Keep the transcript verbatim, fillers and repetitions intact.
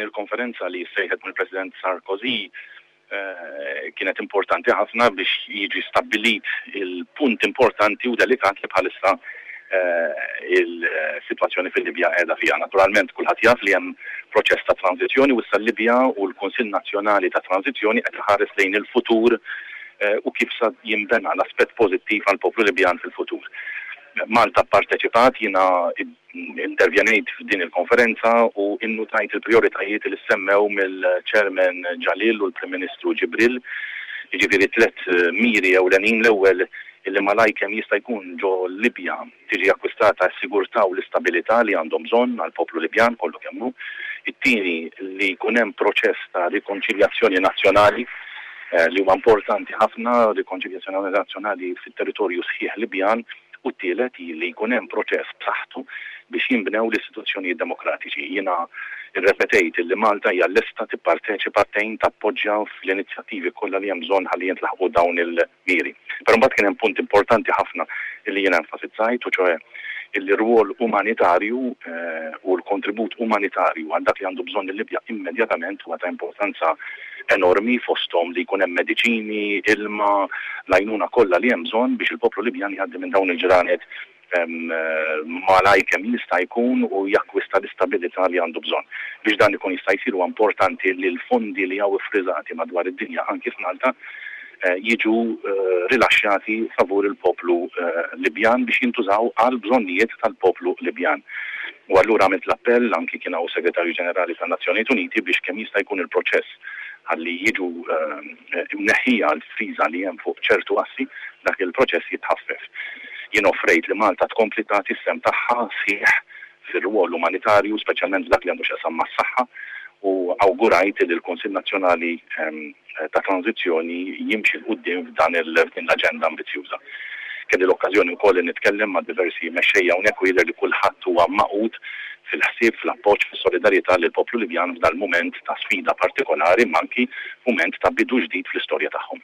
Il-konferenza li sejħet mill-President Sarkozy eh, kienet importanti ħafna biex jiġi stabbilit il-punt importanti u delikat li bħalissa eh, il-sitwazzjoni fil-Libja qiegħda fiha. Naturalment, kulħadd jaf li hemm proċess ta' tranzizzjoni u issa l-Libja u l-Kunsill Nazzjonali ta' Tranzizzjoni qed iħares lejn il-futur eh, u kif sa jinbena l-aspett pożittiv għall-poplu Libjan fil-futur. Malta pparteċipat, jiena intervjenejt f'din il-konferenza u innutajt il-prioritajiet li semmew mill-Chairman Jalil u l-Prim Ministru Ġibril, jiġifieri tliet miri ewlenin. L-ewwel, illi malaj kemm jista' jkun ġo Libja tiġi akkwistata s-sigurtà u l-istabilità li għandhom bżonn għall-poplu Libjan kollu kemm hu. It-tieni, li jkun hemm proċess ta' rikonċiljazzjoni nazzjonali eh, li huwa importanti ħafna, rikonċiljazzjoni nazzjonali fit-territorju sħiħ Libjan, u t-tielet li jkun hemm proċess b'saħħtu biex jinbnew l-istituzzjonijiet demokratiċi. Jiena irrepetejt li Malta hija lesta tipparteċipa, tgħin, tappoġġja fl-inizjattivi kollha li hemm bżonn ħalli jintlaħqu dawn il-miri. Però mbagħad kien hemm punt importanti ħafna li jiena enfasizzajt, u ċoè il-rwol umanitarju eh, u l-kontribut umanitarju għal dak li għandu bżonn il-Libja immedjatament huwa ta' importanza enormi, fosthom li jkun hemm mediċini, ilma, l-għajnuna kollha li hemm bżonn biex il-poplu Libjan jgħaddi minn dawn il-ġranet malaj kemm jista' jkun u jakkwista l-istabilità li għandu bżonn. Biex dan ikun jista' jsir, huwa importanti li l-fondi li hawn iffriżati madwar id-dinja, anki f'Malta, eh, jiġu eh, rilaxxjati favur il-poplu eh, Libjan biex jintużaw għal bżonnijiet tal-poplu Libjan. U allura għamilt l-appell, anki kien hawn Segretarju Ġenerali tan-Nazzjonijiet Uniti, biex kemm jista' jkun il-proċess ħalli jiġu imneħħija l-friża li hemm fuq ċertu assi, dak il-proċess jitħaffef. Jien offrejt li Malta tkompli tagħti s-sehem tagħha sħiħ fir-rwol umanitarju, speċjalment dak li għandu x'jaqsam mas-saħħa, u awgurajt li l-Kunsill Nazzjonali ehm, ta' Tranzizzjoni jimxi 'l quddiem f'dan l-aġenda ambizjuża. Kelli l-okkażjoni wkoll li nitkellem ma' diversi mexxejja hawnhekk u jidher li kulħadd huwa magħqud fil-ħsieb, fl-appoġġ, fis-solidarjetà lill-poplu Libjan f'dal mument ta' sfida partikolari, imma anki mument ta' bidu ġdid fl-istorja tagħhom.